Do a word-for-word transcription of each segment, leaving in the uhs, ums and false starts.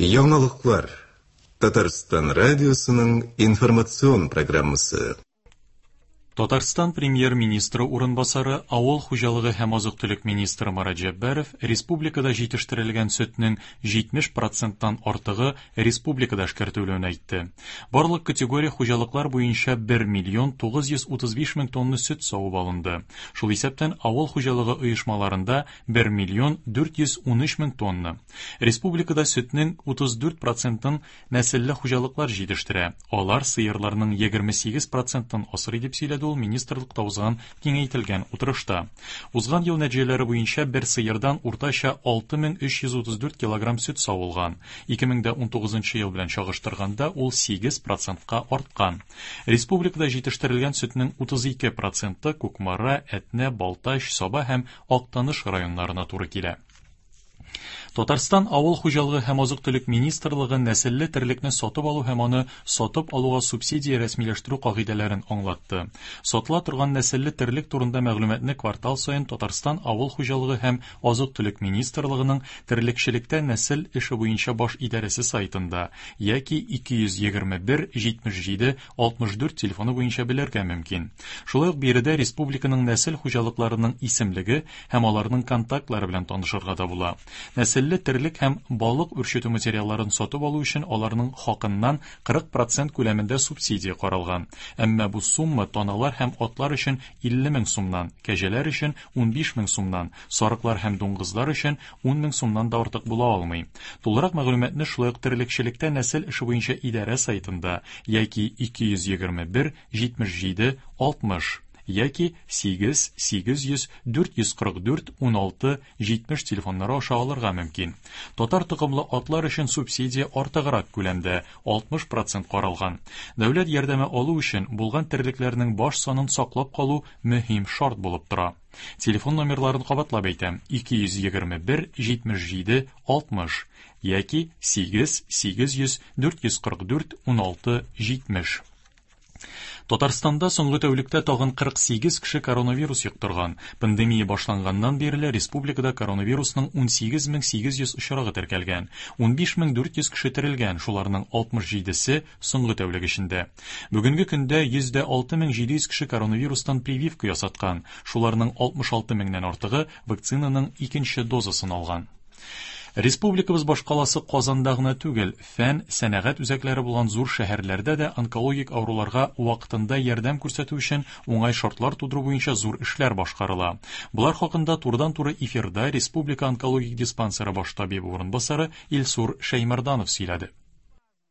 Яңалыклар. Татарстан радиосының информацион программасы. Татарстан премьер-министры урынбасары, авыл хуҗалыгы һәм азык-төлек министры Марат Җәббаров республикада җитештерелгән сөтнең җитмеш проценттан артыгы республикада эшкәртелүен әйтте. Барлык категория хуҗалыклар буенча бер миллион тугыз йөз утыз биш мең тонна сөт савып алынды. Шул исәптән авыл хуҗалыгы оешмаларында бер миллион дүрт йөз ун өч мең тонна. Республикада сөтнең утыз дүрт процентын нәселле хуҗалыклар җитештерә. Алар сыерларның егерме сигез процентын асрый, дип сөйләде ул министрлыкта узган киңәйтелгән утырышта. Узган ел нәтиҗәләре буенча бер сыердан уртача алты мең өч йөз утыз дүрт килограмм сөт савылган. Ике мең дә унтугызынчы ел белән чагыштырганда ул сигез процентка арткан. Республикада җитештерелгән сөтнең утыз ике проценты Кукмара, Әтнә, Балтач, Саба һәм Актаныш районнарына туры килә. Татарстан Авыл хуҗалыгы һәм азык-төлек министрлыгы нәселле терлекне сатып алу һәм аны сатып алуга субсидия рәсмиләштерү кагыйдәләрен аңлатты. Сатыла торган нәселле терлек турында мәгълүматны квартал саен Татарстан Авыл хуҗалыгы һәм азык-төлек министрлыгының терлекчелектә нәсел эше буенча баш идарәсе сайтында яки ике йөз егерме бер җитмеш җиде алтмыш дүрт телефоны буенча белергә мөмкин. Шулай ук биредә республиканың нәсел хуҗалыкларының исемлеге һәм аларның контактлары белән танышырга да була. Нәселле терлек һәм балык үрчетү материалларын сатып алу өчен аларның хакыннан кырык процент күләмендә субсидия каралган. Әмма бу сумма таналар һәм атлар өчен илле мең сумнан, кәҗәләр өчен унбиш мең сумнан, сарыклар һәм дуңгызлар өчен ун мең сумнан да артык була алмый. Тулырак мәгълүматны шулай ук терлекчелектә нәсел эше буенча идарә сайтында яки ике йөз егерме бер җитмеш җиде алтмыш яки сигез сигез йөз дүрт йөз кырык дүрт уналты җитмеш телефоннары аша алырга мөмкин. Татар токымлы атлар өчен субсидия артыграк күләмдә алтмыш процент каралган. Дәүләт ярдәме алу өчен булган терлекләрнең баш санын саклап калу мөһим шарт булып тора. Телефон номерларын кабатлап әйтәм: ике йөз егерме бер җитмеш җиде алтмыш яки сигез сигез йөз дүрт йөз кырык дүрт уналты җитмеш. Татарстанда соңгы тәүлектә тагын кырык сигез кеше коронавирус йоктырган. Пандемия башланганнан бирле республикада коронавирусның унсигез мең сигез йөз очрагы теркәлгән. Унбиш мең дүрт йөз кеше терелгән, шуларның алтмыш җидесе соңгы тәүлек эчендә. Бүгенге көндә йөз дә алты мең җиде йөз кеше коронавирустан прививка ясаткан. Шуларның алтмыш алты меңнән артыгы вакцинаның икенче дозасын алган. Республикабыз башкаласы Казанда гына түгел, фән, сәнәгать үзәкләре булган зур шәһәрләрдә дә онкологик авыруларга вакытында ярдәм күрсәтү өчен уңай шартлар тудыру буенча зур эшләр башкарыла. Болар хакында турыдан-туры эфирда Республика онкологик диспансеры баш табибы урынбасары Илсур Шәймәрданов сөйләде.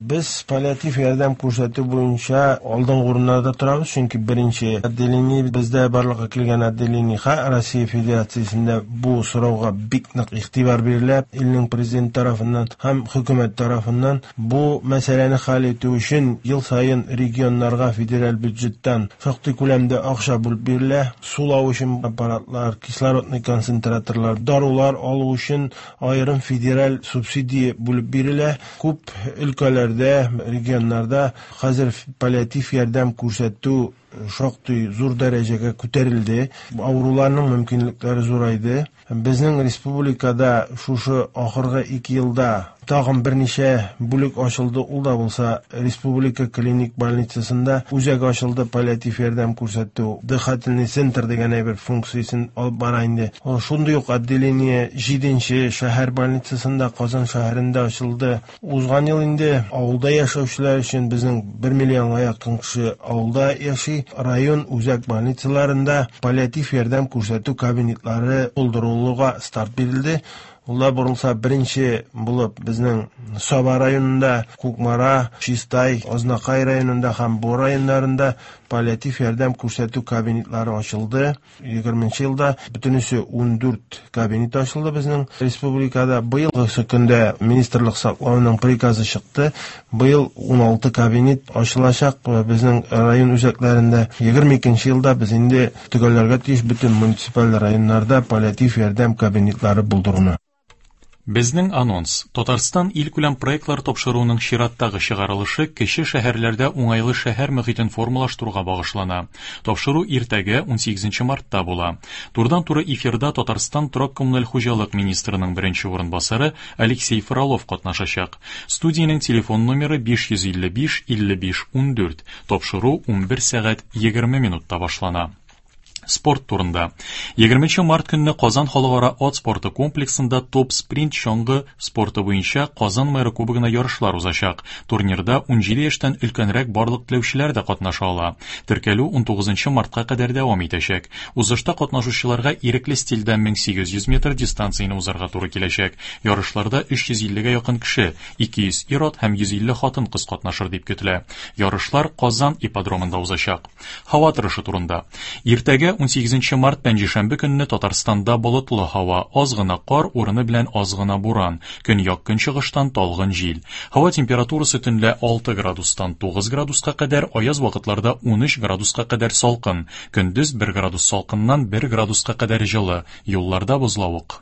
Без паллиатив ярдәм күрсәтү буенча алдынгы урыннарда торабыз, чөнки беренче отделение бездә барлыкка килгән отделение Россия Федерациясендә бу сорауга бик нык игътибар бирелә. Илнең президент тарафыннан һәм хөкүмәт тарафыннан бу мәсьәләне хәл итү өчен ел саен регионнарга федераль бюджеттан шактый күләмдә акча бүлеп бирелә. Сулау өчен аппаратлар, кислородный концентраторлар, дарулар алу өчен аерым федераль субсидия бүлеп бирелә. Күп өлкәләр регионнарда хәзер паллиатив ярдәм күрсәтү шактый зур дәрәҗәгә күтәрелде. Авыруларның мөмкинлекләре зурайды. Безнең республикада шушы ахыргы ике елда тагын берничә бүлек ачылды. Ул да булса республика клиник больницасында үзәк ачылды, паллиатив ярдәм күрсәтү, дыхательный центр дигән әйбер функциясен алып бара инде. Шундый ук отделение җиденче шәһәр больницасында Казан шәһәрендә ачылды. Узган ел инде авылда яшәүчеләр өчен безнең бер миллионга якын кеше авылда яши. Район үзәк больницаларында паллиатив ярдәм күрсәтү кабинетлары булдырылуга старт бирелде. Улар борылса беренче булып безнең Саба районында, Кукмара, Чистай, Азнакай районында һәм Бу районнарында паллиатив ярдәм күрсәтү кабинетлары ачылды. Егерменче елда бөтенесе ундүрт кабинет ачылды безнең республикада. Быелгы көндә Министрлык саклауның приказы чыкты. Быел уналты кабинет ачылачак безнең район үзәкләрендә. Егерме икенче елда без инде төгәлләргә тиеш бөтен муниципаль районнарда паллиатив ярдәм кабинетлары булдыруны. Безнең анонс. Татарстан илкүләм проектлар тапшыруының чираттагы чыгарылышы кече шәһәрләрдә уңайлы шәһәр мөхитен формалаштыруга багышлана. Тапшыру иртәгә унсигезенче мартта була. Турыдан-туры эфирда Татарстан торак коммуналь хуҗалык министрының беренче урынбасары Алексей Фролов катнашачак. Студиянең телефон номеры биш йөз илле биш илле биш ундүрт. Тапшыру унбер сәгать егерме минутта башлана. Спорт турында. Егерменче март көнне Казан халыкара ат спорты комплексында топ-спринт чаңгы спорты буенча Казан мэры кубогына ярышлар узачак. Турнирда унҗиде яшьтән өлкәнрәк барлык теләүчеләр дә катнаша ала. Теркәлү унтугызынчы мартка кадәр дәвам итәчәк. Узышта катнашучыларга ирекле стильдә мең сигез йөз метр дистанцияне узарга туры киләчәк. Ярышларда өч йөз иллегә якын кеше, ике йөз ир-ат һәм йөз илле хатын-кыз катнашыр дип көтелә. Ярышлар Казан ипподромында узачак. Һава торышы турында. Иртәгә унсигезенче март пәнҗешәмбе көнне Татарстанда болытлы һава, аз гына кар, урыны белән аз гына буран, көньяк көнчыгыштан талгын җил. Һава температурасы төнлә алты градустан тугыз градуска кадәр, аяз вакытларда унөч градуска кадәр салкын, көндез бер градус салкыннан бер градуска кадәр җылы, юлларда бозлавык.